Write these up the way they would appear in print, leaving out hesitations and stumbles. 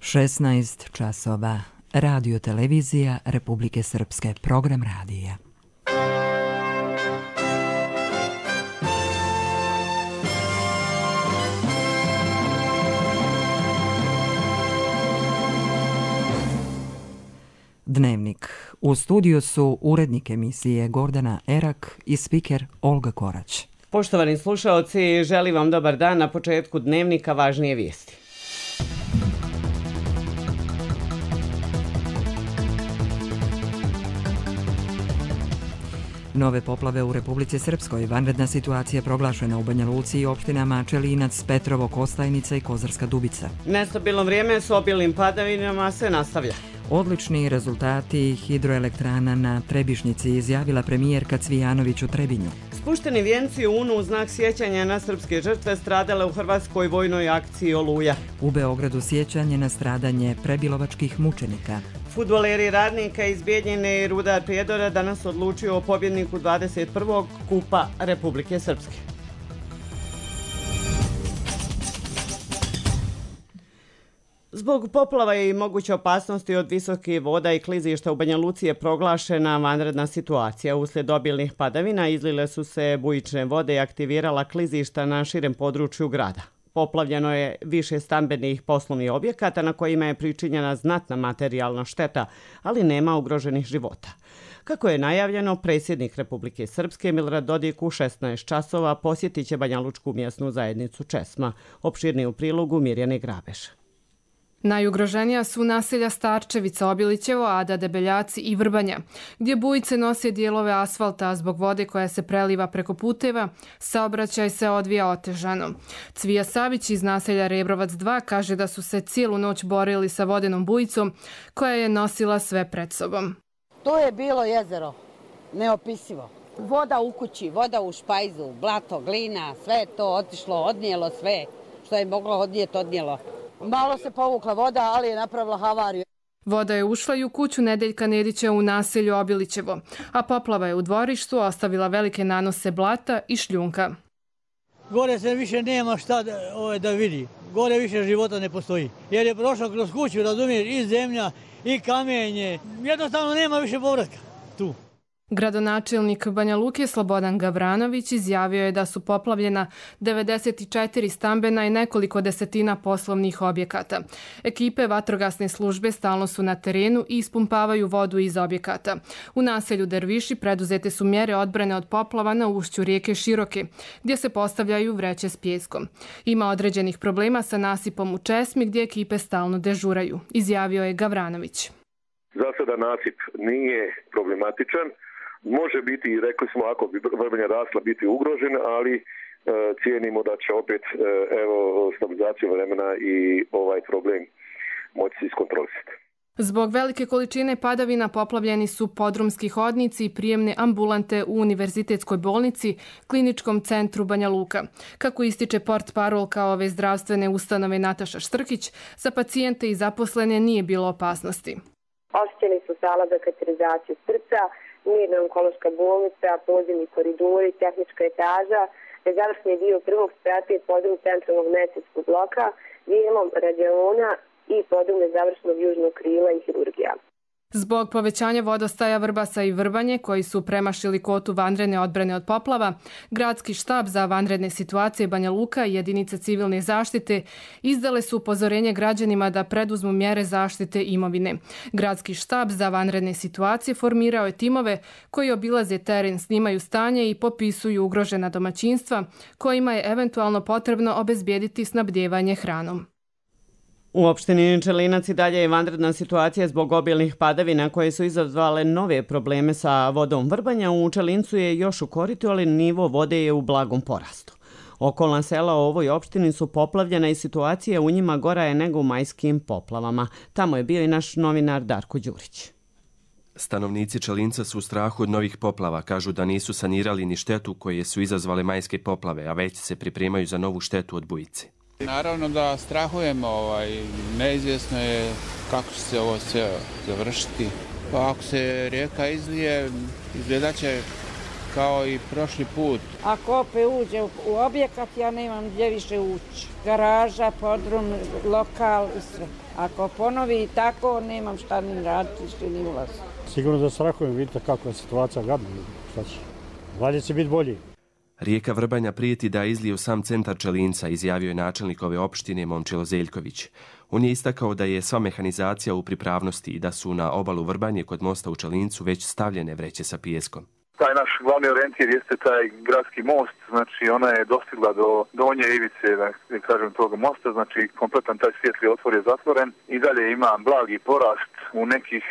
16 časova. Radio televizija Republike Srpske. Program radija. Dnevnik. U studiju su urednik emisije Gordana Erak i spiker Olga Korać. Poštovani slušaoci, želim vam dobar dan. Na početku dnevnika važnije vijesti. Nove poplave u Republici Srpskoj. Vanredna situacija proglašena u Banja Luci i opštinama Čelinac, Petrovo, Kostajnica i Kozarska Dubica. Nestabilno vrijeme s obilnim padavinama se nastavlja. Odlični rezultati hidroelektrana na Trebišnjici, izjavila premijerka Cvijanović u Trebinju. Spušteni vijenci u Unu u znak sjećanja na srpske žrtve stradale u hrvatskoj vojnoj akciji Oluja. U Beogradu sjećanje na stradanje prebilovačkih mučenika. Fudbaleri Radnika iz Bijeljine i Rudar Prijedora danas odlučio o pobjedniku 21. Kupa Republike Srpske. Zbog poplava i moguće opasnosti od visokih voda i klizišta u Banja Luci je proglašena vanredna situacija. Uslijed obilnih padavina izlile su se bujične vode i aktivirala klizišta na širem području grada. Poplavljeno je više stambenih poslovnih objekata na kojima je pričinjena znatna materijalna šteta, ali nema ugroženih života. Kako je najavljeno, predsjednik Republike Srpske Milorad Dodik u 16 časova posjetit će Banja Lučku mjesnu zajednicu Česma. Opširniji u prilogu Mirjane Grabeš. Najugroženija su naselja Starčevica, Obilićevo, Ada, Debeljaci i Vrbanja, gdje bujice nose dijelove asfalta, a zbog vode koja se preliva preko puteva, saobraćaj se odvija otežano. Cvija Savić iz naselja Rebrovac 2 kaže da su se cijelu noć borili sa vodenom bujicom koja je nosila sve pred sobom. To je bilo jezero, neopisivo. Voda u kući, voda u špajzu, blato, glina, sve je to otišlo, odnijelo sve što je moglo odnijeti, odnijelo. Malo se povukla voda, ali je napravila havariju. Voda je ušla i u kuću Nedeljka Nedića u naselju Obilićevo, a poplava je u dvorištu ostavila velike nanose blata i šljunka. Gore se više nema šta da vidi. Gore više života ne postoji. Jer je prošlo kroz kuću, razumiješ, i zemlja, i kamenje. Jednostavno nema više povratka tu. Gradonačelnik Banja Luke Slobodan Gavranović izjavio je da su poplavljena 94 stambena i nekoliko desetina poslovnih objekata. Ekipe vatrogasne službe stalno su na terenu i ispumpavaju vodu iz objekata. U naselju Derviši preduzete su mjere odbrane od poplava na ušću rijeke Široke, gdje se postavljaju vreće s pijeskom. Ima određenih problema sa nasipom u Česmi, gdje ekipe stalno dežuraju, izjavio je Gavranović. Za sada nasip nije problematičan. Može biti, rekli smo, ako bi Vrbanja rasla, biti ugrožen, ali cijenimo da će opet stabilizacija vremena i ovaj problem moći se iskontrolisati. Zbog velike količine padavina poplavljeni su podrumski hodnici i prijemne ambulante u Univerzitetskoj bolnici, Kliničkom centru Banja Luka. Kako ističe portparolka ove zdravstvene ustanove Nataša Štrkić, za pacijente i zaposlene nije bilo opasnosti. Oštećeni su sala za kateterizaciju srca, mirna onkološka bolnica, podzemni koridori, tehnička etaža, završni dio prvog sprata i podrum centralnog medicinskog bloka, dijelom radiona i podrum završnog južnog krila i hirurgija. Zbog povećanja vodostaja Vrbasa i Vrbanje, koji su premašili kvotu vanredne odbrane od poplava, Gradski štab za vanredne situacije Banja Luka i jedinice civilne zaštite izdale su upozorenje građanima da preduzmu mjere zaštite imovine. Gradski štab za vanredne situacije formirao je timove koji obilaze teren, snimaju stanje i popisuju ugrožena domaćinstva kojima je eventualno potrebno obezbijediti snabdijevanje hranom. U opštini Čelinac i dalje je vanredna situacija zbog obilnih padavina koje su izazvale nove probleme sa vodom Vrbanja. U Čelincu je još u koritu, ali nivo vode je u blagom porastu. Okolna sela u ovoj opštini su poplavljena i situacija u njima gora je nego u majskim poplavama. Tamo je bio i naš novinar Darko Đurić. Stanovnici Čelinca su u strahu od novih poplava. Kažu da nisu sanirali ni štetu koje su izazvale majske poplave, a već se pripremaju za novu štetu od bujice. Naravno da strahujemo, neizvjesno je kako će se ovo sve završiti. Pa ako se rijeka izlije, izgledat će kao i prošli put. Ako opet uđe u objekat, ja nemam gdje više ući. Garaža, podrum, lokal i sve. Ako ponovi tako, nemam šta ni raditi, ni ulaz. Sigurno da strahujem, vidite kakva je situacija gadna. Šta će? Valjda će biti bolji. Rijeka Vrbanja prijeti da izlije u sam centar Čelinca, izjavio je načelnik ove opštine Momčilo Zeljković. On je istakao da je sva mehanizacija u pripravnosti i da su na obalu Vrbanje kod mosta u Čelincu već stavljene vreće sa pijeskom. Taj naš glavni orijentir jeste taj gradski most, znači ona je dostigla do donje ivice, da kažem, tog mosta, znači kompletan taj svijetli otvor je zatvoren i dalje ima blagi porast u nekih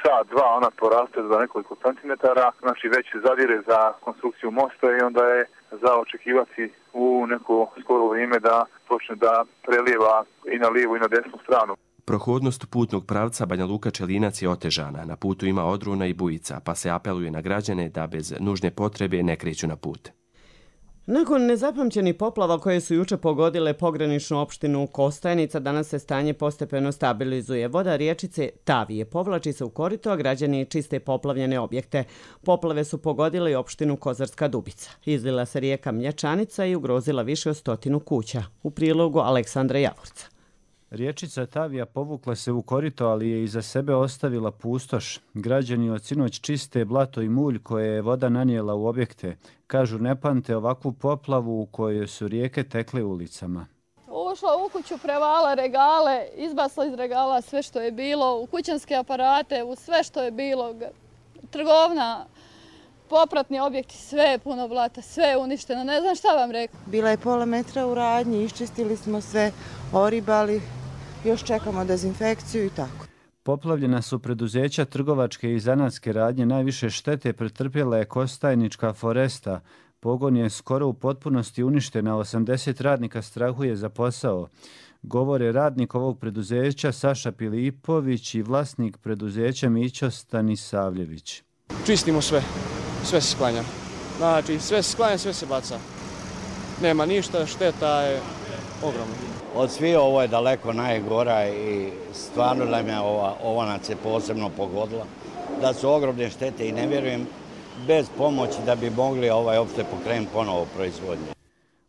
sat, dva, ona poraste za nekoliko centimetara, znači već zadire za konstrukciju mosta i onda je za očekivati u neko skoro vrijeme da počne da prelijeva i na lijevu i na desnu stranu. Prohodnost putnog pravca Banja Luka Čelinac je otežana. Na putu ima odruna i bujica, pa se apeluje na građane da bez nužne potrebe ne kreću na put. Nakon nezapamćenih poplava koje su juče pogodile pograničnu opštinu Kostajnica, danas se stanje postepeno stabilizuje. Voda riječice Tavije povlači se u korito, a građani čiste poplavljene objekte. Poplave su pogodile i opštinu Kozarska Dubica. Izlila se rijeka Mlječanica i ugrozila više od 100 kuća. U prilogu Aleksandra Javorca. Riječica Tavija povukla se u korito, ali je iza sebe ostavila pustoš. Građani od sinoć čiste blato i mulj koje je voda nanijela u objekte. Kažu ne pamte ovakvu poplavu u kojoj su rijeke tekle ulicama. Ušla u kuću, prevala regale, izbacila iz regala sve što je bilo, u kućanske aparate, u sve što je bilo, trgovna, popratni objekti, sve je puno blata, sve je uništeno, ne znam šta vam rekao. Bila je pola metra u radnji, iščistili smo sve, oribali, još čekamo dezinfekciju i tako. Poplavljena su preduzeća trgovačke i zanatske radnje, najviše štete pretrpjela je Kostajnička Foresta. Pogon je skoro u potpunosti uništen, a 80 radnika strahuje za posao. Govore radnik ovog preduzeća Saša Pilipović i vlasnik preduzeća Mićo Stanisavljević. Čistimo sve se sklanja. Znači sve se sklanja, sve se baca. Nema ništa, šteta je ogromna. Od svih ovo je daleko najgora i stvarno da me ova nas je posebno pogodila. Da su ogromne štete i ne vjerujem bez pomoći da bi mogli opšte pokrenuti ponovo proizvodnje.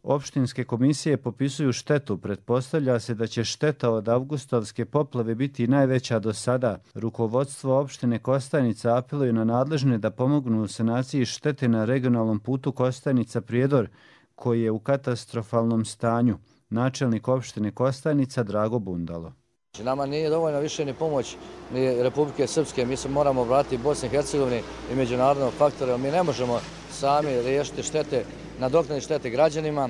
Opštinske komisije popisuju štetu. Pretpostavlja se da će šteta od avgustovske poplave biti najveća do sada. Rukovodstvo opštine Kostajnica apeluje na nadležne da pomognu u sanaciji štete na regionalnom putu Kostajnica-Prijedor, koji je u katastrofalnom stanju. Načelnik opštine Kostajnica Drago Bundalo. Nama nije dovoljno više ni pomoć ni Republike Srpske, mi se moramo vratiti Bosni i Hercegovini i međunarodnog faktora. Mi ne možemo sami riješiti štete, nadoknaditi štete građanima,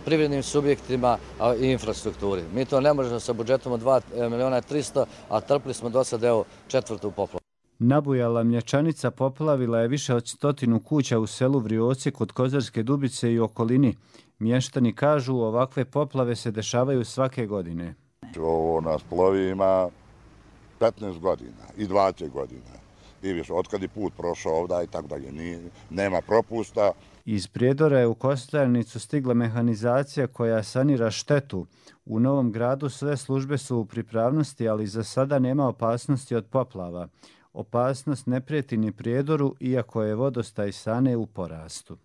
privrednim subjektima i infrastrukturi. Mi to ne možemo sa budžetom od 2.300.000, a trpili smo do sad četvrtu poplavu. Nabujala Mlječanica poplavila je više od 100 kuća u selu Vrioci kod Kozarske Dubice i okolini. Mještani kažu ovakve poplave se dešavaju svake godine. Ovo nas plovi ima 15 godina i 20 godina. I više, otkad je put prošao ovdje i tako dalje, nema propusta. Iz Prijedora je u Kostajnicu stigla mehanizacija koja sanira štetu. U Novom Gradu sve službe su u pripravnosti, ali za sada nema opasnosti od poplava. Opasnost ne prijeti ni Prijedoru, iako je vodostaj Sane u porastu.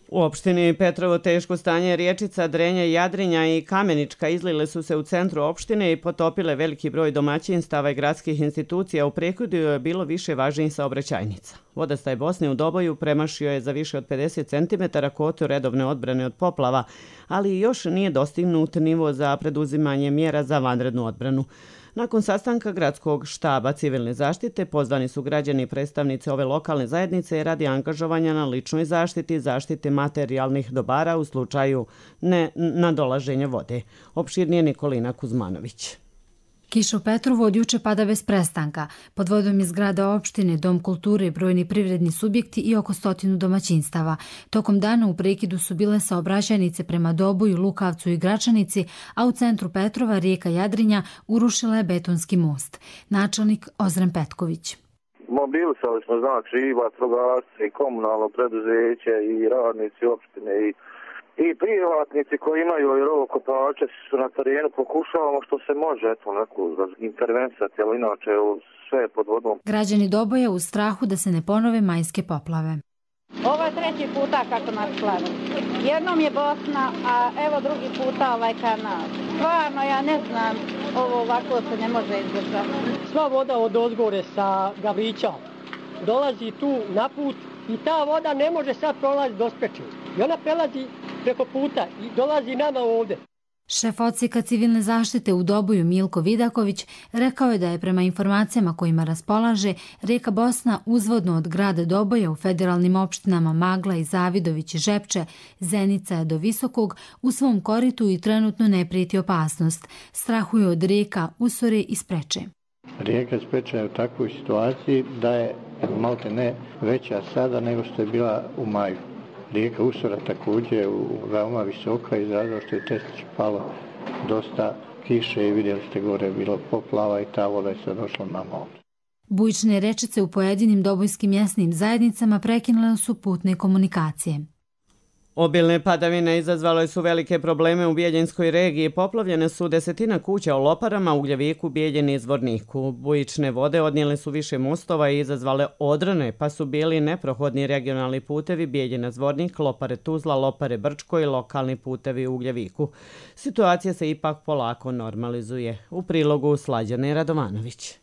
U opštini Petrovo teško stanje riječica Drenja, Jadrinja i Kamenička izlile su se u centru opštine i potopile veliki broj domaćinstava i gradskih institucija. U Prekodiju je bilo više važnijih saobraćajnica. Vodostaj Bosne u Doboju premašio je za više od 50 cm kvotu redovne odbrane od poplava, ali još nije dostignut nivo za preduzimanje mjera za vanrednu odbranu. Nakon sastanka gradskog štaba civilne zaštite pozvani su građani i predstavnici ove lokalne zajednice radi angažovanja na ličnoj zaštiti materijalnih dobara u slučaju nadolaženja vode. Opširnije Nikolina Kuzmanović. Kiša u Petrovu od juče pada bez prestanka. Pod vodom je zgrada opštine, dom kulture, brojni privredni subjekti i oko 100 domaćinstava. Tokom dana u prekidu su bile saobraćajnice prema Doboju, Lukavcu i Gračanici, a u centru Petrova rijeka Jadrinja urušila je betonski most. Načelnik Ozren Petković. Mobilisali smo znači i vatrogasce i komunalno preduzeće i radnici opštine i privatnici koji imaju rovokopače su na terenu, pokušavamo što se može neku intervensati, ali inače sve je pod vodom. Građani Doboja u strahu da se ne ponove majske poplave. Ovo je treći puta kako nas slavi. Jednom je Bosna, a evo drugi puta ovaj kanal. Stvarno, ja ne znam, ovo ovako se ne može izdržati. Sva voda od ozgore sa Gavrića dolazi tu na put i ta voda ne može sad prolaziti do Speče. I ona prelazi preko puta i dolazi nama ovdje. Šef odsjeka civilne zaštite u Doboju Milko Vidaković rekao je da je prema informacijama kojima raspolaže rijeka Bosna uzvodno od grada Doboja u federalnim opštinama Magla i Zavidović i Žepče, Zenica do Visokog u svom koritu i trenutno ne prijeti opasnost. Strahuje od rijeka Usore i Spreče. Rijeka Spreča je u takvoj situaciji da je malte ne veća sada nego što je bila u maju. Rijeka Usora također veoma visoka iz razloga što je Testić palo dosta kiše i vidjeli ste gore je bilo poplava i ta voda je sad došla nama ovdje. Bujične rečice u pojedinim dobojskim mjesnim zajednicama prekinule su putne komunikacije. Obilne padavine izazvale su velike probleme u Bijeljinskoj regiji. Poplavljene su desetina kuća u Loparama, Ugljeviku, Bijeljini i Zvorniku. Bujične vode odnijele su više mostova i izazvale odrone, pa su bili neprohodni regionalni putevi Bijeljina Zvornik, Lopare Tuzla, Lopare Brčko i lokalni putevi u Ugljeviku. Situacija se ipak polako normalizuje. U prilogu Slađane Radovanović.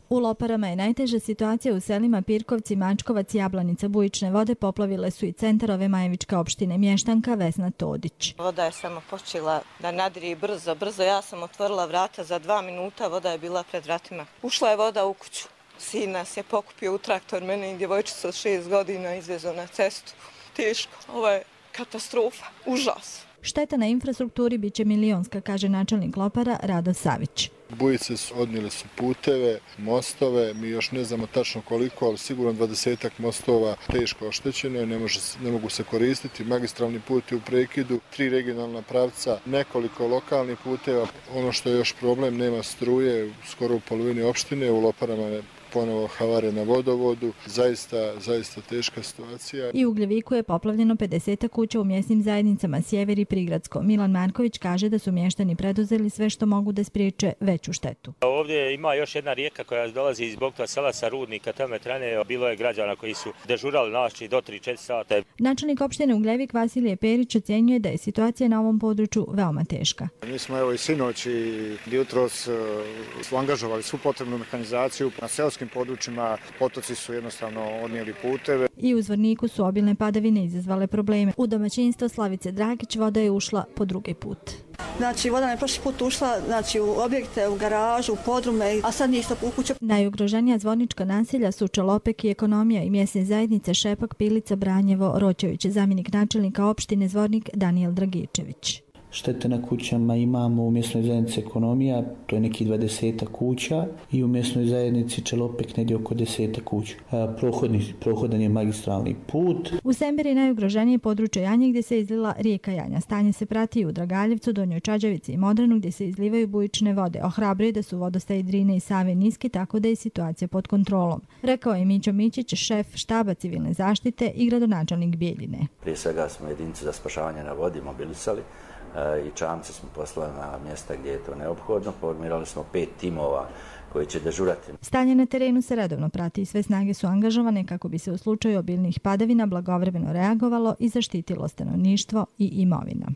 U Loparama je najteža situacija u selima Pirkovci, Mačkovac, Jablanica. Bujične vode poplavile su i centar ove Majevičke opštine. Mještanka Vesna Todić. Voda je samo počela da nadri brzo. Ja sam otvorila vrata za 2 minuta, voda je bila pred vratima. Ušla je voda u kuću. Sin nas je pokupio u traktor, mene i djevojčicu od 6 godina izvezo na cestu. Teško, ovo je katastrofa, užas. Šteta na infrastrukturi biće milionska, kaže načelnik Lopara Rado Savić. Bujice odnijele su puteve, mostove, mi još ne znamo tačno koliko, ali sigurno 20 mostova teško oštećeno, ne mogu se koristiti. Magistralni put je u prekidu, 3 regionalna pravca, nekoliko lokalnih puteva. Ono što je još problem, nema struje, skoro u polovini opštine, u Loparama je ponovo havare na vodovodu, zaista teška situacija. I u Ugljeviku je poplavljeno 50 kuća u mjesnim zajednicama Sjever i Prigradsko. Milan Marković kaže da su mještani preduzeli sve što mogu da spriječe veću štetu. Ovdje ima još jedna rijeka koja dolazi iz Bogtova sela sa Rudnika, Tometrane. Bilo je građana koji su dežurali noći do 3-4 sata. Načelnik opštine Ugljevik Vasilije Perić ocjenjuje da je situacija na ovom području veoma teška. Mi smo i sinoć i jutros su angažovali svu potrebnu mehanizaciju na seoskim područjima, potoci su jednostavno odnijeli puteve. I u Zvorniku su obilne padavine izazvale probleme. U domaćinstvo Slavice Dragić voda je ušla po drugi put. Znači, voda je prošli put ušla u objekte, u garažu, u podrume, a sad ništa u kuću. Najugroženija zvornička naselja su Čelopek i Ekonomija i mjesne zajednice Šepak, Pilica, Branjevo, Roćević, zamjenik načelnika opštine Zvornik Danijel Dragičević. Štete na kućama imamo u mjesnoj zajednici Ekonomija, to je neki 20 kuća, i u mjesnoj zajednici Čelopek negdje oko 10 kuća. Prohodan je magistralni put. U Semberi najugroženije područje Janje gdje se izlila rijeka Janja. Stanje se prati i u Dragaljevcu, Donjoj Čađavici i Modranu gdje se izlivaju bujične vode. Ohrabruje da su vodostaji Drine i Save niski, tako da je situacija pod kontrolom. Rekao je Mićo Mićić, šef štaba civilne zaštite i gradonačelnik Bijeljine. Prije svega smo jedinicu za spašavanje na vodi mobilisali i čamce smo poslali na mjesta gdje je to neophodno. Formirali smo 5 timova koji će dežurati. Stanje na terenu se redovno prati i sve snage su angažovane kako bi se u slučaju obilnih padavina blagovremeno reagovalo i zaštitilo stanovništvo i imovina.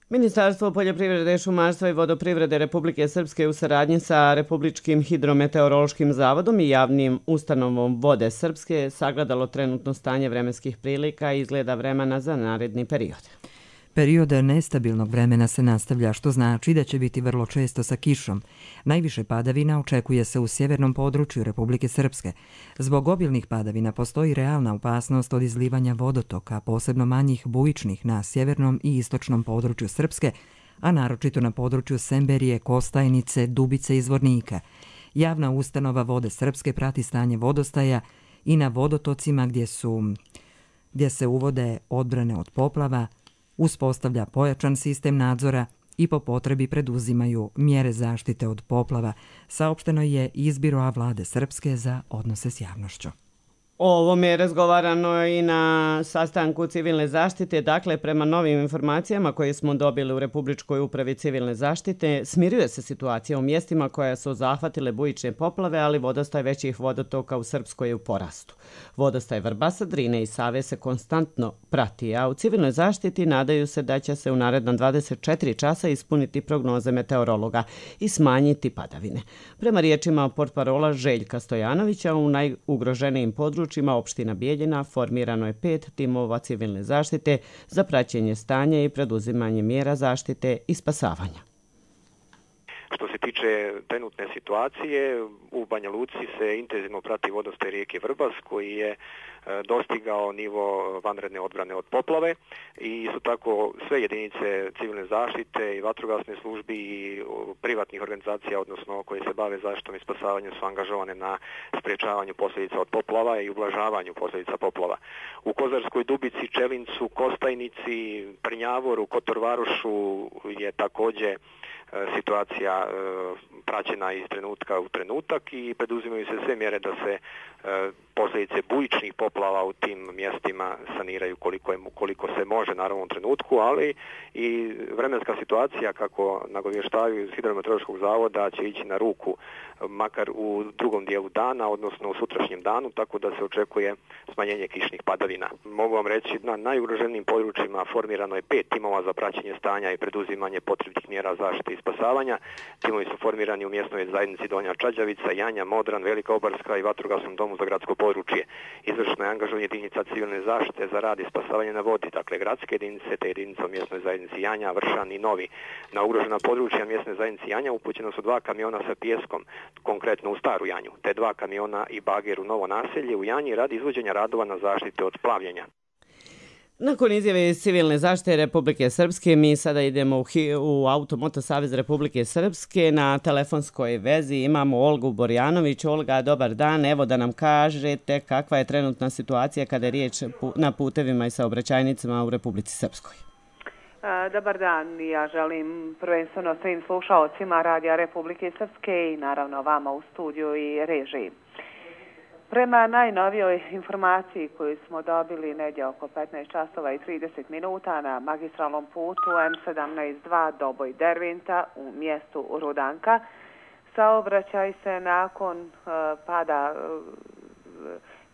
Ministarstvo poljoprivrede, šumarstva i vodoprivrede Republike Srpske u saradnji sa Republičkim hidrometeorološkim zavodom i javnim ustanovom Vode Srpske sagledalo trenutno stanje vremenskih prilika i izgleda vremena za naredni period. Period nestabilnog vremena se nastavlja, što znači da će biti vrlo često sa kišom. Najviše padavina očekuje se u sjevernom području Republike Srpske. Zbog obilnih padavina postoji realna opasnost od izlivanja vodotoka, posebno manjih bujičnih na sjevernom i istočnom području Srpske, a naročito na području Semberije, Kostajnice, Dubice i Zvornika. Javna ustanova Vode Srpske prati stanje vodostaja i na vodotocima gdje se uvode odbrane od poplava, uspostavlja pojačan sistem nadzora i po potrebi preduzimaju mjere zaštite od poplava, saopšteno je iz Biroa Vlade Srpske za odnose s javnošću. O ovome je razgovarano i na sastanku civilne zaštite. Dakle, prema novim informacijama koje smo dobili u Republičkoj upravi civilne zaštite, smiruje se situacija u mjestima koja su zahvatile bujične poplave, ali vodostaj većih vodotoka u Srpskoj je u porastu. Vodostaj Vrbasa, Drine i Save se konstantno prati, a u civilnoj zaštiti nadaju se da će se u naredna 24 časa ispuniti prognoze meteorologa i smanjiti padavine. Prema riječima portparola Željka Stojanovića, u najugroženijim područjima opština Bijeljina formirano je 5 timova civilne zaštite za praćenje stanja i preduzimanje mjera zaštite i spasavanja. Što se tiče trenutne situacije, u Banja Luci se intenzivno prati vodostaj rijeke Vrbas koji je dostigao nivo vanredne odbrane od poplave i isto tako sve jedinice civilne zaštite i vatrogasne službi i privatnih organizacija, odnosno koje se bave zaštitom i spasavanjem, su angažovane na sprječavanju posljedica od poplava i ublažavanju posljedica poplava. U Kozarskoj Dubici, Čelincu, Kostajnici, Prnjavoru, Kotorvarošu je također situacija praćena iz trenutka u trenutak i preduzimaju se sve mjere da se posljedice bujičnih poplava u tim mjestima saniraju koliko se može, naravno u trenutku, ali i vremenska situacija, kako nagovještavaju iz Hidrometeorološkog zavoda, će ići na ruku makar u drugom dijelu dana, odnosno u sutrašnjem danu, tako da se očekuje smanjenje kišnih padavina. Mogu vam reći, na najugroženijim područjima formirano je 5 timova za praćenje stanja i preduzimanje potrebnih mjera zaštite i spasavanja. Timovi su formirani u mjesnoj zajednici Donja Čađavica, Janja, Modran, Velika Obarska i Vatrogasnom domu za gradsko područje. Izvršno je angažovanje jedinica civilne zaštite za rad i spasavanje na vodi, dakle gradske jedinice te jedinice u mjesnoj zajednici Janja, Vršan i Novi. Na ugrožena područja mjesne zajednice Janja upućeno su 2 kamiona sa pijeskom, konkretno u Staru Janju, te 2 kamiona i bager u Novo naselje u Janji radi izvođenja radova na zaštite od plavljenja. Nakon izjave iz civilne zaštite Republike Srpske, mi sada idemo u Automoto Savez Republike Srpske. Na telefonskoj vezi imamo Olgu Borjanović. Olga, dobar dan. Evo da nam kažete kakva je trenutna situacija kada je riječ na putevima i saobraćajnicama u Republici Srpskoj. Dobar dan. Ja želim prvenstveno svim slušalcima Radija Republike Srpske i naravno vama u studiju i režiji. Prema najnovijoj informaciji koju smo dobili negdje oko 15 časova i 30 minuta na magistralnom putu M17-2 Doboj Dervinta u mjestu Rudanka, saobraćaj se nakon pada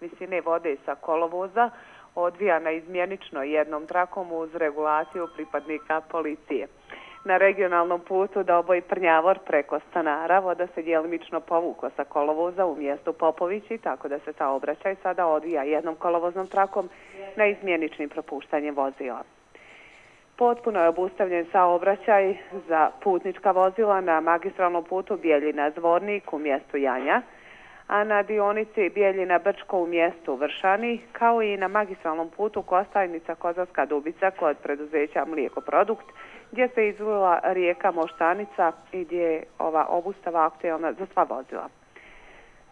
visine vode sa kolovoza odvija na izmjenično jednom trakom uz regulaciju pripadnika policije. Na regionalnom putu Doboj Prnjavor preko Stanara voda se djelimično povukla sa kolovoza u mjestu Popovići, tako da se saobraćaj sada odvija jednom kolovoznom trakom na izmjeničnim propuštanjem vozila. Potpuno je obustavljen saobraćaj za putnička vozila na magistralnom putu Bijeljina-Zvornik u mjestu Janja, a na dionici Bijeljina-Brčko u mjestu Vršani, kao i na magistralnom putu Kostajnica-Kozarska Dubica kod preduzeća Mlijekoprodukt, gdje se izlila rijeka Moštanica i gdje je ova obustava aktualna za sva vozila.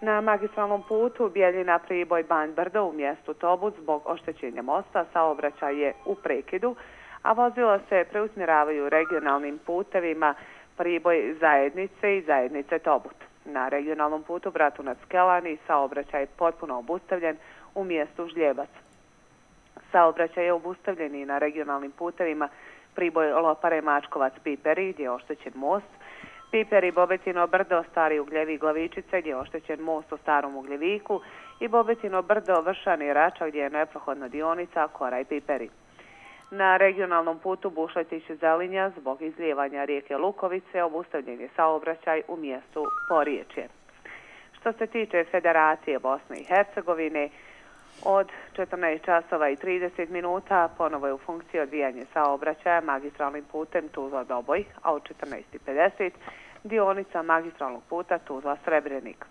Na magistralnom putu Bijeljina-Priboj-Banj Brdo u mjestu Tobut zbog oštećenja mosta saobraćaj je u prekidu, a vozila se preusmjeravaju regionalnim putevima Priboj Zajednice i Zajednice Tobut. Na regionalnom putu Bratunac-Kelani saobraćaj je potpuno obustavljen u mjestu Žljebac. Saobraćaj je obustavljen i na regionalnim putevima Priboj Lopare Mačkovac Piperi gdje je oštećen most, Piperi Bobetino Brdo Stari Ugljevi Glavičice gdje je oštećen most u Starom Ugljeviku i Bobetino Brdo Vršani Rača gdje je neprohodna dionica Koraj Piperi. Na regionalnom putu Bušletić Zelinja zbog izlijevanja rijeke Lukovice obustavljen je saobraćaj u mjestu Poriječje. Što se tiče Federacije Bosne i Hercegovine, od 14 časova i 30 minuta ponovo je u funkciji odvijanje saobraćaja magistralnim putem Tuzla-Doboj, a od 14:50 dionica magistralnog puta Tuzla-Srebrenik.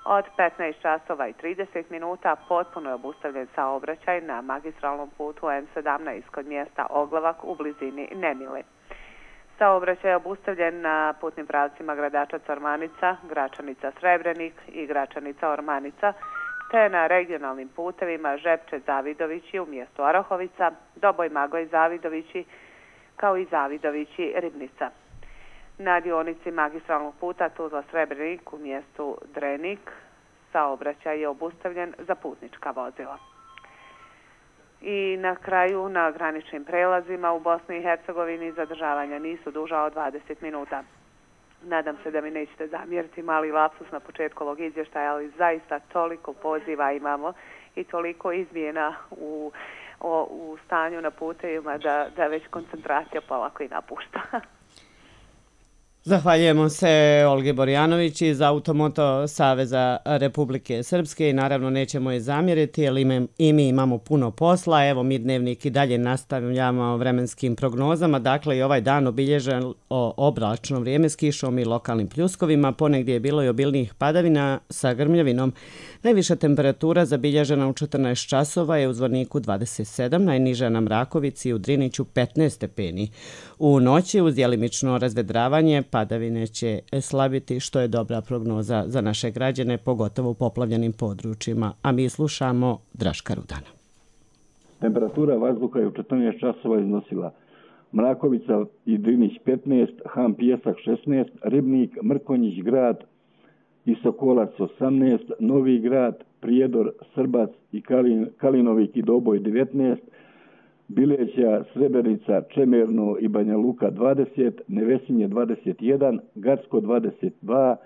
Od 15 časova i 30 minuta potpuno je obustavljen saobraćaj na magistralnom putu M17 kod mjesta Oglavak u blizini Nemile. Saobraćaj je obustavljen na putnim pravcima Gradačac-Ormanica, Gračanica-Srebrenik i Gračanica-Ormanica, te na regionalnim putevima Žepče-Zavidovići u mjestu Orahovica, Doboj-Magoj-Zavidovići, kao i Zavidovići-Ribnica. Na dionici magistralnog puta Tuzla-Srebrenik u mjestu Drenik saobraćaj je obustavljen za putnička vozila. I na kraju, na graničnim prelazima u Bosni i Hercegovini zadržavanja nisu duža od 20 minuta. Nadam se da mi nećete zamjeriti mali lapsus na početku ovog izvještaja, ali zaista toliko poziva imamo i toliko izmjena u stanju na putevima da već koncentracija polako i napušta. Zahvaljujemo se Olgi Borjanović iz Automoto Saveza Republike Srpske i naravno nećemo je zamjeriti jer i mi imamo puno posla. Evo mi Dnevnik i dalje nastavljamo vremenskim prognozama. Dakle i ovaj dan obilježen oblačno vrijeme s kišom i lokalnim pljuskovima. Ponegdje je bilo i obilnijih padavina sa grmljavinom. Najviša temperatura zabilježena u 14 časova je u Zvorniku 27, najniža na Mrakovici i u Driniću 15 stepeni. U noći uz djelimično razvedravanje padavine će slabiti, što je dobra prognoza za naše građane, pogotovo u poplavljenim područjima. A mi slušamo Draška Rudana. Temperatura vazduha je u 14 časova iznosila Mrakovica i Drinić 15, Han Pijesak 16, Ribnik, Mrkonjić grad i Sokolac 18, Novi grad, Prijedor, Srbac i Kalinovik i Doboj 19, Bileća, Srebrenica, Čemerno i Banja Luka 20, Nevesinje 21, Gacko 22,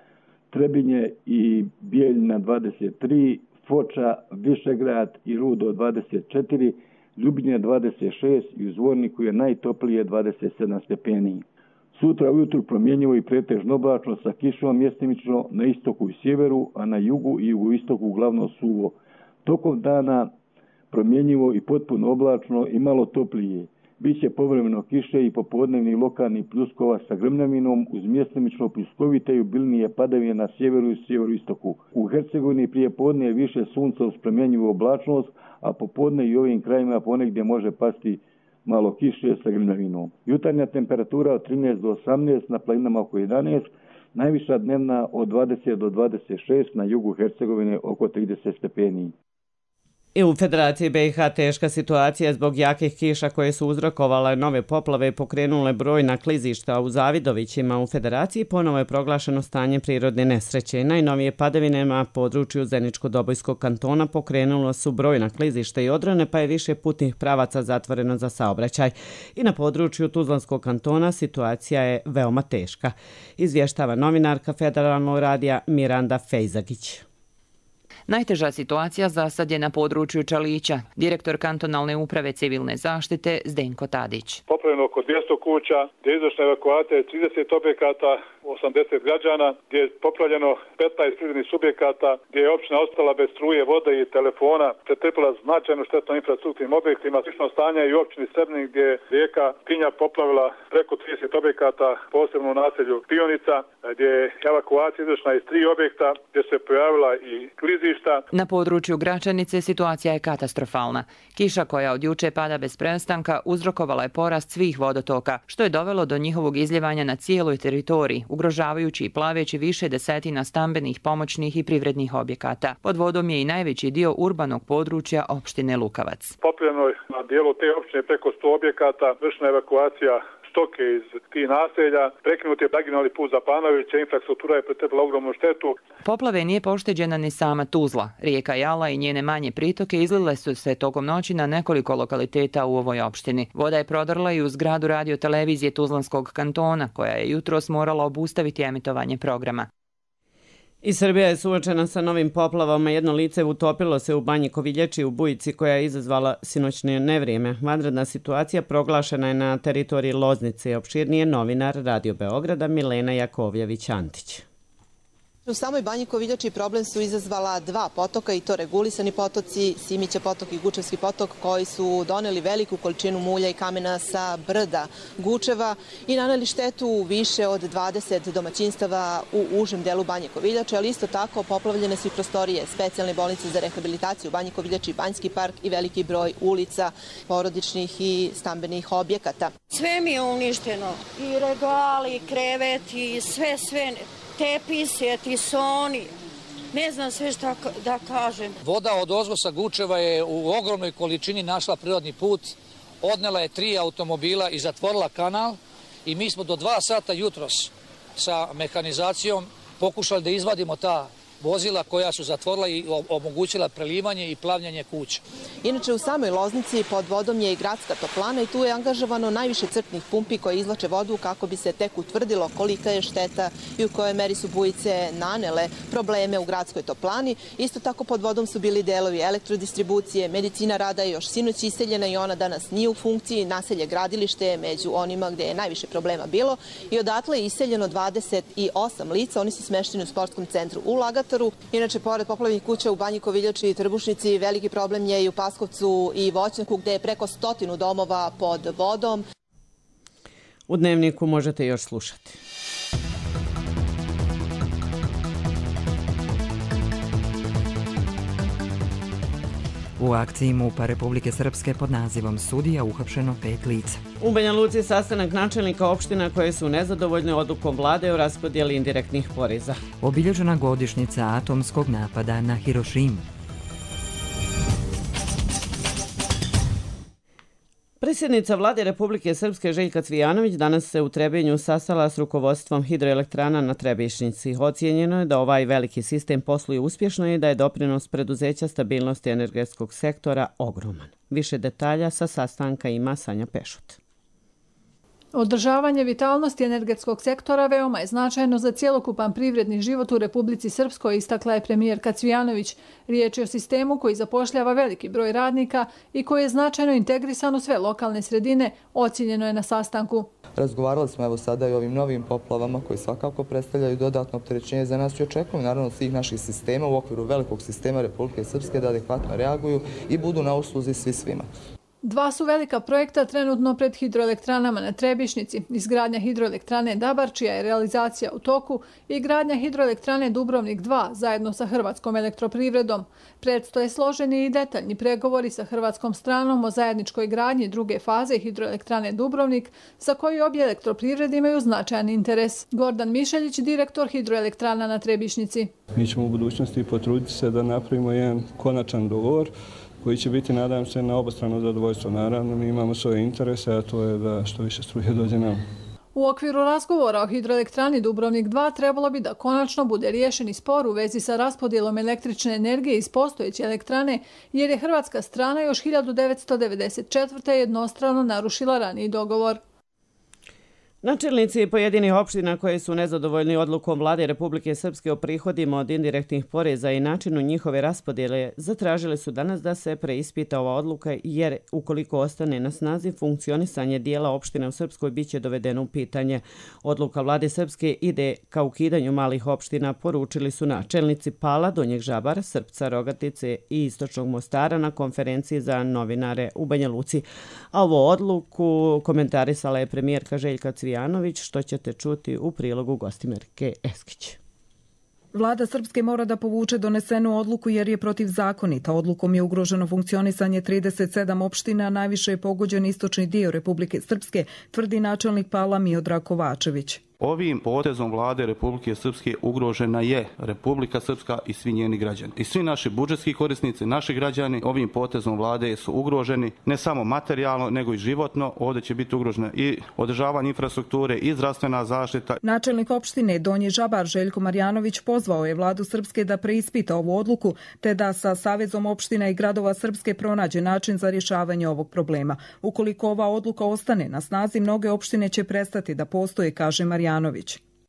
Trebinje i Bijeljina 23, Foča, Višegrad i Rudo 24, Ljubinje 26 i u Zvorniku je najtoplije 27 stepeni. Sutra ujutru promjenjivo i pretežno oblačno sa kišom mjestimično na istoku i sjeveru, a na jugu i jugoistoku uglavnom suvo. Tokom dana promjenjivo i potpuno oblačno i malo toplije. Biće povremeno kiše i popodnevni lokalni pljuskova sa grmljavinom uz mjestimično pljuskovite i obilnije padavine na sjeveru i sjeveroistoku. U Hercegovini prije podne je više sunca uz promjenjivu oblačnost, a popodne i ovim krajima ponegdje može pasti malo kiše sa grmljavinom. Jutarnja temperatura od 13 do 18, na planinama oko 11, najviša dnevna od 20 do 26, na jugu Hercegovine oko 30 stepeni. I u Federaciji BiH teška situacija zbog jakih kiša koje su uzrokovale nove poplave i pokrenule brojna klizišta u Zavidovićima. U Federaciji ponovo je proglašeno stanje prirodne nesreće. Najnovije padavine na području Zeničko-Dobojskog kantona pokrenulo su brojna klizišta i odrone, pa je više putnih pravaca zatvoreno za saobraćaj. I na području Tuzlanskog kantona situacija je veoma teška, izvještava novinarka Federalnog radija Miranda Fejzagić. Najteža situacija za sad je na području Čalića. Direktor kantonalne uprave civilne zaštite Zdenko Tadić. Poplavljeno oko 200 kuća, gdje je izvršena evakuacija 30 objekata, 80 građana, gdje je poplavljeno 15 privrednih subjekata, gdje je općina ostala bez struje, vode i telefona, pretrpila značajnu štetu na infrastrukturnim objektima. Slično stanje i u općini Srebnik, gdje je rijeka Tinja poplavila preko 30 objekata, posebno u naselju Pionica, gdje je evakuacija izvršena iz 3 objekta, gdje se pojavila i klizišta. Na području Gračanice situacija je katastrofalna. Kiša koja od juče pada bez prestanka uzrokovala je porast svih vodotoka, što je dovelo do njihovog izljevanja na cijeloj teritoriji, ugrožavajući i plaveći više desetina stambenih, pomoćnih i privrednih objekata. Pod vodom je i najveći dio urbanog područja opštine Lukavac. Poplavljeno je na dijelu te opštine preko 100 objekata, vršena evakuacija stoke iz tih naselja, prekinut je regionalni put za Panovića, infrastruktura je pretrpila ogromnu štetu. Poplave nije pošteđena ni sama Tuzla. Rijeka Jala i njene manje pritoke izlile su se tokom noći na nekoliko lokaliteta u ovoj opštini. Voda je prodrla i u zgradu radiotelevizije Tuzlanskog kantona, koja je jutros morala obustaviti emitovanje programa. I Srbija je suočena sa novim poplavama. Jedno lice utopilo se u Banji Koviljači u bujici koja je izazvala sinoćne nevrijeme. Vanredna situacija proglašena je na teritoriji Loznice. Opširnije novinar Radio Beograda Milena Jakovljević-Antić. U samoj Banji Koviljači problem su izazvala 2 potoka i to regulisani potoci, Simića potok i Gučevski potok, koji su doneli veliku količinu mulja i kamena sa brda Gučeva i naneli štetu više od 20 domaćinstava u užem delu Banje Koviljače, ali isto tako poplavljene su i prostorije specijalne bolnice za rehabilitaciju Banje Koviljači, Banjski park i veliki broj ulica, porodičnih i stambenih objekata. Sve mi je uništeno, i regali, i kreveti, sve. Tepise, tisoni, ne znam sve šta da kažem. Voda od ozgo sa Gučeva je u ogromnoj količini našla prirodni put, odnela je 3 automobila i zatvorila kanal i mi smo do 2 sata jutros sa mehanizacijom pokušali da izvadimo ta vozila koja su zatvorila i omogućila prelivanje i plavljanje kuća. Inače, u samoj Loznici pod vodom je i gradska toplana i tu je angažovano najviše crpnih pumpi koje izvlače vodu kako bi se tek utvrdilo kolika je šteta i u kojoj meri su bujice nanele probleme u gradskoj toplani. Isto tako pod vodom su bili delovi elektrodistribucije, medicina rada je još sinoć iseljena i ona danas nije u funkciji. Naselje Gradilište je među onima gde je najviše problema bilo i odatle je iseljeno 28 lica. Oni su smešteni u sportskom centru u Lagataru. Inače, pored poplavnih kuća u Banji Koviljači i Trbušnici, veliki problem je i u Paskovcu i Voćnjaku gde je preko 100 domova pod vodom. U Dnevniku možete još slušati. U akciji MUP-a Republike Srpske pod nazivom Sudija uhapšeno 5 lica. U Banja Luci sastanak načelnika opština koje su nezadovoljne odlukom vlade o raspodjeli indirektnih poreza. Obilježena godišnjica atomskog napada na Hirošimu. Predsjednica vlade Republike Srpske Željka Cvijanović danas se u Trebinju sastala s rukovodstvom hidroelektrana na Trebišnjici. Ocijenjeno je da ovaj veliki sistem posluje uspješno i da je doprinos preduzeća stabilnosti energetskog sektora ogroman. Više detalja sa sastanka ima Sanja Pešut. Održavanje vitalnosti energetskog sektora veoma je značajno za cjelokupan privredni život u Republici Srpskoj, istakla je premijerka Cvijanović. Riječ je o sistemu koji zapošljava veliki broj radnika i koji je značajno integrisan u sve lokalne sredine, ocijenjeno je na sastanku. Razgovarali smo evo sada i o ovim novim poplavama koji svakako predstavljaju dodatno opterećenje za nas i očekujemo naravno svih naših sistema u okviru velikog sistema Republike Srpske da adekvatno reaguju i budu na usluzi svi svima. Dva su velika projekta trenutno pred hidroelektranama na Trebišnjici. Izgradnja hidroelektrane Dabar, čija je realizacija u toku, i gradnja hidroelektrane Dubrovnik 2 zajedno sa Hrvatskom elektroprivredom. Predstoje složeni i detaljni pregovori sa hrvatskom stranom o zajedničkoj gradnji druge faze hidroelektrane Dubrovnik, za koju obje elektroprivrede imaju značajan interes. Gordan Mišeljić, direktor hidroelektrana na Trebišnjici. Mi ćemo u budućnosti potruditi se da napravimo jedan konačan dogovor koji će biti, nadam se, na obostrano zadovoljstvo. Naravno, mi imamo svoje interese, a to je da što više struje dođe nam. U okviru razgovora o hidroelektrani Dubrovnik 2 trebalo bi da konačno bude riješeni spor u vezi sa raspodjelom električne energije iz postojeće elektrane, jer je hrvatska strana još 1994. jednostrano narušila raniji dogovor. Načelnici pojedinih opština koje su nezadovoljni odlukom vlade Republike Srpske o prihodima od indirektnih poreza i načinu njihove raspodjele zatražili su danas da se preispita ova odluka, jer ukoliko ostane na snazi, funkcionisanje dijela opština u Srpskoj biće dovedeno u pitanje. Odluka vlade Srpske ide ka ukidanju malih opština, poručili su načelnici Pala, Donjeg Žabara, Srpca, Rogatice i Istočnog Mostara na konferenciji za novinare u Banja Luci. A ovu odluku komentarisala je premijerka Željka Cvijanović, što ćete čuti u prilogu Gostimerke Eskić. Vlada Srpske mora da povuče donesenu odluku jer je protivzakonita. Odlukom je ugroženo funkcionisanje 37 opština, najviše je pogođen istočni dio Republike Srpske, tvrdi načelnik Pala Miodrag Kovačević. Ovim potezom vlade Republike Srpske ugrožena je Republika Srpska i svi njeni građani. I svi naši budžetski korisnici, naši građani ovim potezom vlade su ugroženi ne samo materijalno, nego i životno. Ovdje će biti ugrožena i održavanje infrastrukture i zdravstvena zaštita. Načelnik opštine Donji Žabar Željko Marjanović pozvao je vladu Srpske da preispita ovu odluku, te da sa Savezom opština i gradova Srpske pronađe način za rješavanje ovog problema. Ukoliko ova odluka ostane na snazi, mnoge opštine će prestati da postoje, kaže Marjanović.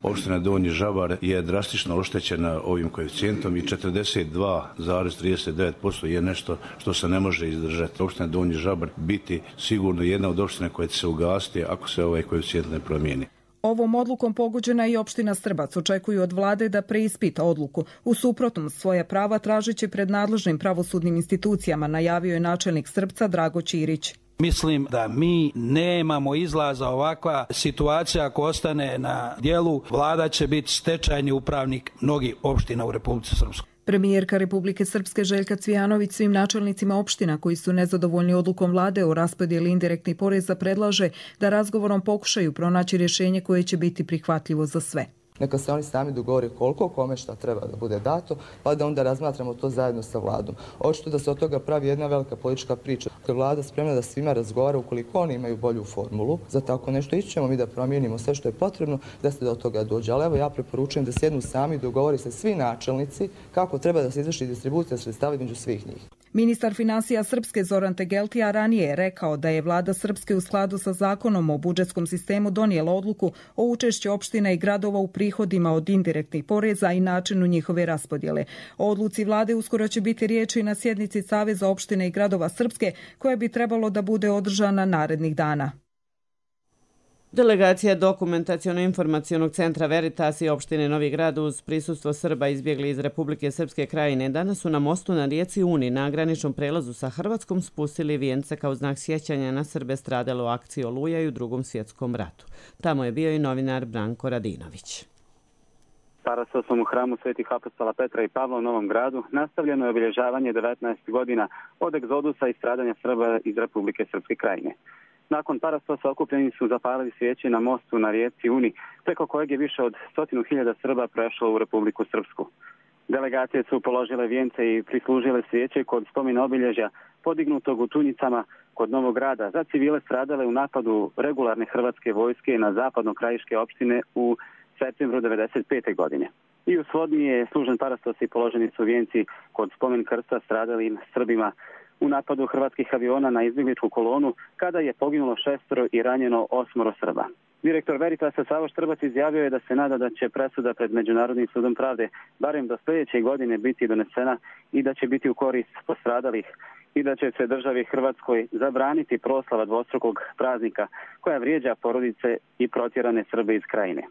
Opština Donji Žabar je drastično oštećena ovim koeficijentom i 42,39% je nešto što se ne može izdržati. Opština Donji Žabar biti sigurno jedna od opština koja će se ugasiti ako se ovaj koeficijent ne promijeni. Ovom odlukom pogođena i opština Strbac. Očekuju od vlade da preispita odluku. U suprotnom, svoja prava tražiće pred nadležnim pravosudnim institucijama, najavio je načelnik Strpca Drago Ćirić. Mislim da mi nemamo izlaza, ovakva situacija ako ostane na dijelu, vlada će biti stečajni upravnik mnogih opština u Republici Srpskoj. Premijerka Republike Srpske Željka Cvijanović svim načelnicima opština koji su nezadovoljni odlukom vlade o raspodjeli indirektnih poreza predlaže da razgovorom pokušaju pronaći rješenje koje će biti prihvatljivo za sve. Neka se oni sami dogovore koliko kome šta treba da bude dato, pa da onda razmatramo to zajedno sa vladom. Očito da se od toga pravi jedna velika politička priča. Kad vlada spremna da svima razgovara, ukoliko oni imaju bolju formulu za tako nešto, ićemo mi da promijenimo sve što je potrebno da se do toga dođe. Ali evo ja preporučujem da sjednu sami, dogovori se svi načelnici kako treba da se izvrši distribucija sredstava između svih njih. Ministar finansija Srpske Zoran Tegeltija ranije je rekao da je vlada Srpske u skladu sa zakonom o budžetskom sistemu donijela odluku o učešću opština i gradova u prihodima od indirektnih poreza i načinu njihove raspodjele. O odluci vlade uskoro će biti riječi na sjednici Saveza opština i gradova Srpske, koja bi trebalo da bude održana narednih dana. Delegacija Dokumentaciono-informacionog centra Veritas i opštine Novi Grad uz prisustvo Srba izbjegli iz Republike Srpske Krajine danas su na mostu na rijeci Uni na graničnom prelazu sa Hrvatskom spustili vijence kao znak sjećanja na Srbe stradale u akciji Oluja i u Drugom svjetskom ratu. Tamo je bio i novinar Branko Radinović. Parastosom u hramu Svetih apostola Petra i Pavla u Novom Gradu nastavljeno je obilježavanje 19 godina od egzodusa i stradanja Srba iz Republike Srpske Krajine. Nakon parastosa okupljeni su zapalili svijeće na mostu na rijeci Uni, preko kojeg je više od 100.000 Srba prešlo u Republiku Srpsku. Delegacije su položile vijence i prislužile svijeće kod spomena obilježja podignutog u Tunjicama kod Novog Grada za civile stradale u napadu regularne hrvatske vojske na zapadno-krajiške opštine u septembru 1995. godine. I u Svodni je služen parastos i položeni su vijenci kod spomen krsta stradalim Srbima u napadu hrvatskih aviona na izbjegličku kolonu kada je poginulo 6 i ranjeno 8 Srba. Direktor Veritasa Savo Štrbac izjavio je da se nada da će presuda pred Međunarodnim sudom pravde barem do sljedeće godine biti donesena i da će biti u korist postradalih i da će se državi Hrvatskoj zabraniti proslava dvostrukog praznika koja vrijeđa porodice i protjerane Srbe iz Krajine.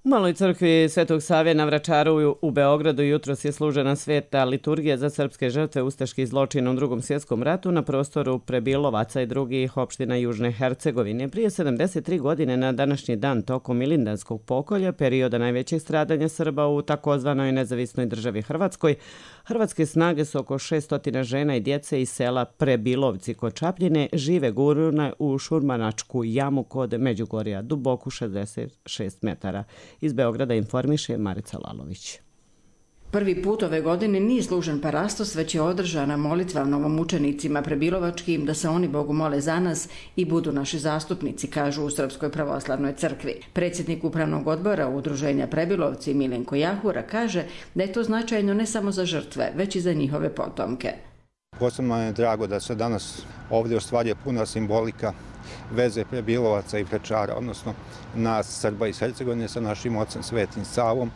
U Maloj crkvi Svetog Save na Vračaru u Beogradu jutros je služena sveta liturgija za srpske žrtve ustaških zločina u Drugom svjetskom ratu na prostoru Prebilovaca i drugih opština Južne Hercegovine. Prije 73 godine na današnji dan tokom Milindanskog pokolja, perioda najvećeg stradanja Srba u takozvanoj nezavisnoj državi Hrvatskoj, hrvatske snage su oko 600 žena i djece iz sela Prebilovci kod Čapljine žive gurune u šurmanačku jamu kod Međugorja, duboku 66 metara. Iz Beograda informiše Marica Lalović. Prvi put ove godine nije služen parastos, već je održana molitva novomučenicima prebilovačkim da se oni Bogu mole za nas i budu naši zastupnici, kažu u Srpskoj pravoslavnoj crkvi. Predsjednik upravnog odbora Udruženja Prebilovci Milenko Jahura kaže da je to značajno ne samo za žrtve, već i za njihove potomke. Posebno je drago da se danas ovdje ostvaruje puna simbolika veze Prebilovaca i Vračara, odnosno nas Srba iz Hercegovine sa našim ocem Svetim Savom,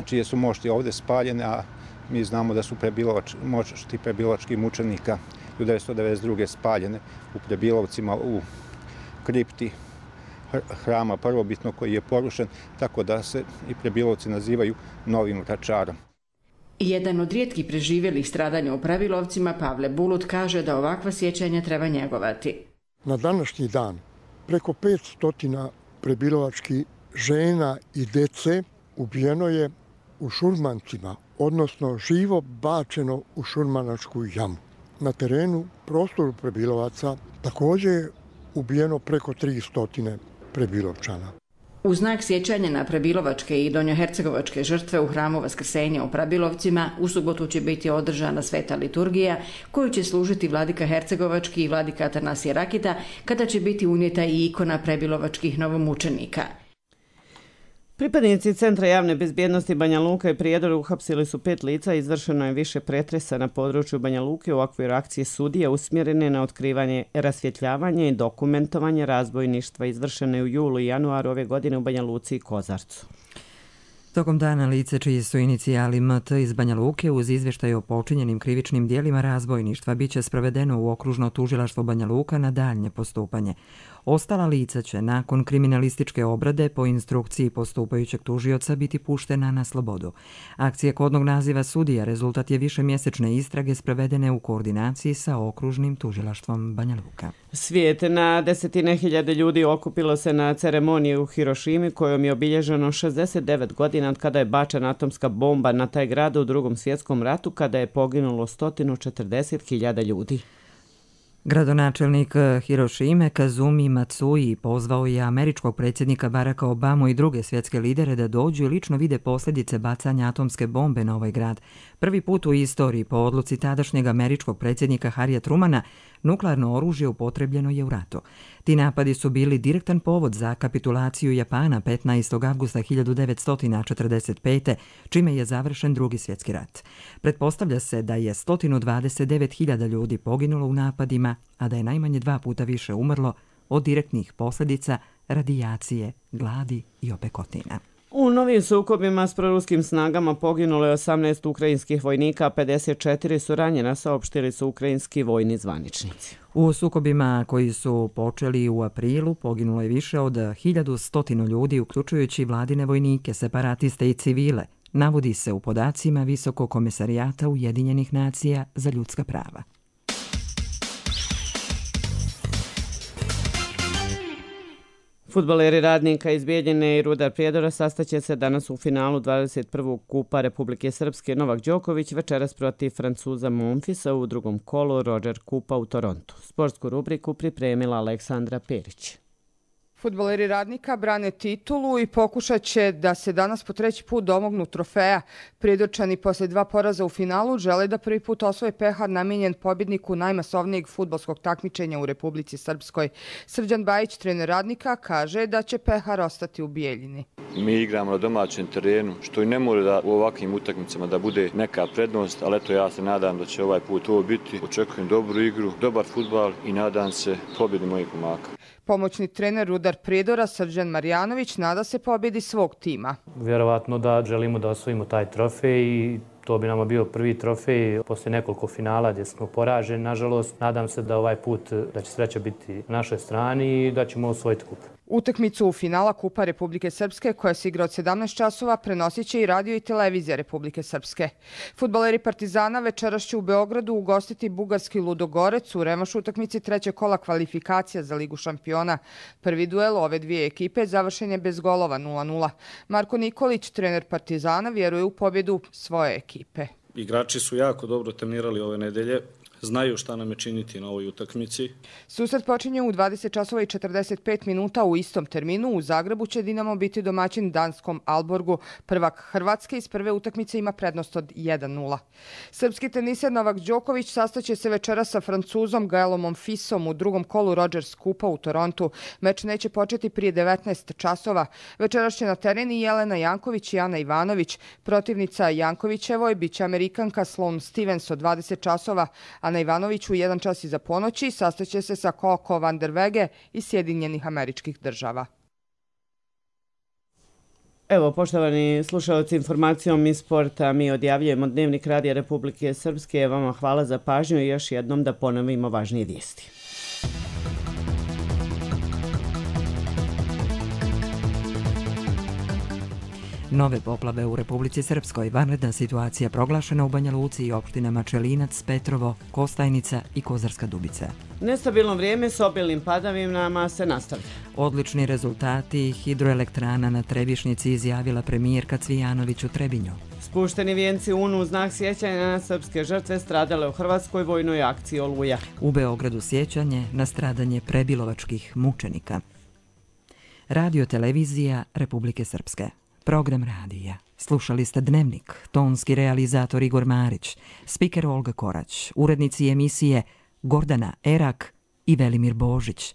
čije su mošti ovdje spaljene, a mi znamo da su mošti prebilovačkih mučenika 1992. spaljene u Prebilovcima u kripti hrama prvobitno koji je porušen, tako da se i Prebilovci nazivaju Novim Vračarom. Jedan od rijetkih preživjelih stradanja u Prebilovcima, Pavle Bulut, kaže da ovakva sjećanja treba njegovati. Na današnji dan preko 500 prebilovačkih žena i dece ubijeno je u šurmancima, odnosno živo bačeno u šurmanačku jamu. Na terenu, prostoru Prebilovaca, također je ubijeno preko 300 Prebilovčana. U znak sjećanja na prebilovačke i donjohercegovačke žrtve u hramu Vaskrsenja u Prebilovcima u subotu će biti održana sveta liturgija koju će služiti vladika hercegovački i vladika Atanasije Rakita, kada će biti unijeta i ikona prebilovačkih novomučenika. Pripadnici Centra javne bezbjednosti Banja Luka i Prijedor uhapsili su 5 lica i izvršeno je više pretresa na području Banja Luke u okviru akcije sudija usmjerene na otkrivanje, rasvjetljavanje i dokumentovanje razbojništva izvršene u julu i januaru ove godine u Banja Luci i Kozarcu. Tokom dana lice čiji su inicijali MT iz Banja Luke uz izvještaj o počinjenim krivičnim dijelima razbojništva biće sprovedeno u okružno tužilaštvo Banja Luka na daljnje postupanje. Ostala lica će nakon kriminalističke obrade po instrukciji postupajućeg tužioca biti puštena na slobodu. Akcija kodnog naziva sudija rezultat je višemjesečne istrage sprovedene u koordinaciji sa okružnim tužilaštvom Banja Luka. Svijet na desetine hiljade ljudi okupilo se na ceremoniji u Hirošimi kojom je obilježeno 69 godina od kada je bačena atomska bomba na taj grad u Drugom svjetskom ratu kada je poginulo 140.000 ljudi. Gradonačelnik Hirošime Kazumi Matsui pozvao je američkog predsjednika Baracka Obamu i druge svjetske lidere da dođu i lično vide posljedice bacanja atomske bombe na ovaj grad. Prvi put u istoriji po odluci tadašnjeg američkog predsjednika Harrya Trumana nuklearno oružje upotrebljeno je u ratu. Ti napadi su bili direktan povod za kapitulaciju Japana 15. avgusta 1945. čime je završen Drugi svjetski rat. Pretpostavlja se da je 129.000 ljudi poginulo u napadima, a da je najmanje 2 puta više umrlo od direktnih posljedica radijacije, gladi i opekotina. U novim sukobima s proruskim snagama poginulo je 18 ukrajinskih vojnika, a 54 su ranjena, saopštili su ukrajinski vojni zvaničnici. U sukobima koji su počeli u aprilu poginulo je više od 1100 ljudi, uključujući vladine vojnike, separatiste i civile, navodi se u podacima Visokog komesarijata Ujedinjenih nacija za ljudska prava. Fudbaleri Radnika iz Bijeljine i Rudar Prijedora sastaće se danas u finalu 21. kupa Republike Srpske. Novak Đoković večeras protiv Francuza Monfisa u drugom kolu Roger Kupa u Torontu. Sportsku rubriku pripremila Aleksandra Perić. Fudbaleri Radnika brane titulu i pokušat će da se danas po 3. put domognu trofeja. Prijedorčani posle 2 poraza u finalu žele da prvi put osvoje pehar namijenjen pobjedniku najmasovnijeg fudbalskog takmičenja u Republici Srpskoj. Srđan Bajić, trener Radnika, kaže da će pehar ostati u Bijeljini. Mi igramo na domaćem terenu, što i ne mora da u ovakvim utakmicama da bude neka prednost, ali eto ja se nadam da će ovaj put ovo biti. Očekujem dobru igru, dobar fudbal i nadam se pobjedi mojih momaka. Pomoćni trener Rudar Prijedora Srđan Marjanović nada se pobjedi svog tima. Vjerovatno da želimo da osvojimo taj trofej i to bi nama bio prvi trofej posle nekoliko finala gdje smo poraženi. Nažalost, nadam se da ovaj put da će sreća biti na našoj strani i da ćemo osvojiti kup. Utakmicu u finala Kupa Republike Srpske, koja se igra od 17 časova, prenosit će i radio i televizija Republike Srpske. Fudbaleri Partizana večeras će u Beogradu ugostiti bugarski Ludogorec u revanšu utakmici 3. kola kvalifikacija za Ligu šampiona. Prvi duel ove dvije ekipe završen je bez golova 0:0. Marko Nikolić, trener Partizana, vjeruje u pobjedu svoje ekipe. Igrači su jako dobro trenirali ove nedelje. Znaju šta nam je činiti na ovoj utakmici. Susret počinje u 20 časova i 45 minuta u istom terminu. U Zagrebu će Dinamo biti domaćin danskom Alborgu. Prvak Hrvatske iz prve utakmice ima prednost od 1:0. Srpski teniser Novak Đoković sastaće se večeras sa Francuzom Gaelom Monfisom u drugom kolu Rogers Kupa u Torontu. Meč neće početi prije 19 časova. Večeras će na teren i Jelena Janković i Ana Ivanović. Protivnica Jankovićevoj biće Amerikanka Sloane Stevens od 20 časova, a Ana Ivanović u 1 čas iza ponoći sastaće se sa Coco van der Wege iz Sjedinjenih Američkih Država. Evo, poštovani slušalci, informacijom iz sporta mi odjavljujemo Dnevnik Radija Republike Srpske. Vama hvala za pažnju i još jednom da ponovimo važnije vijesti. Nove poplave u Republici Srpskoj, vanredna situacija proglašena u Banja Luci i opštinama Čelinac, Petrovo, Kostajnica i Kozarska Dubica. Nestabilno vrijeme s obilnim padavinama se nastavlja. Odlični rezultati hidroelektrana na Trebišnici izjavila premijerka Cvijanović u Trebinju. Spušteni vijenci UN u znak sjećanja na srpske žrtve stradale u Hrvatskoj vojnoj akciji Oluja. U Beogradu sjećanje na stradanje prebilovačkih mučenika. Radio televizija Republike Srpske. Program radija. Slušali ste Dnevnik, tonski realizator Igor Marić, spiker Olga Korać, urednici emisije Gordana Erak i Velimir Božić.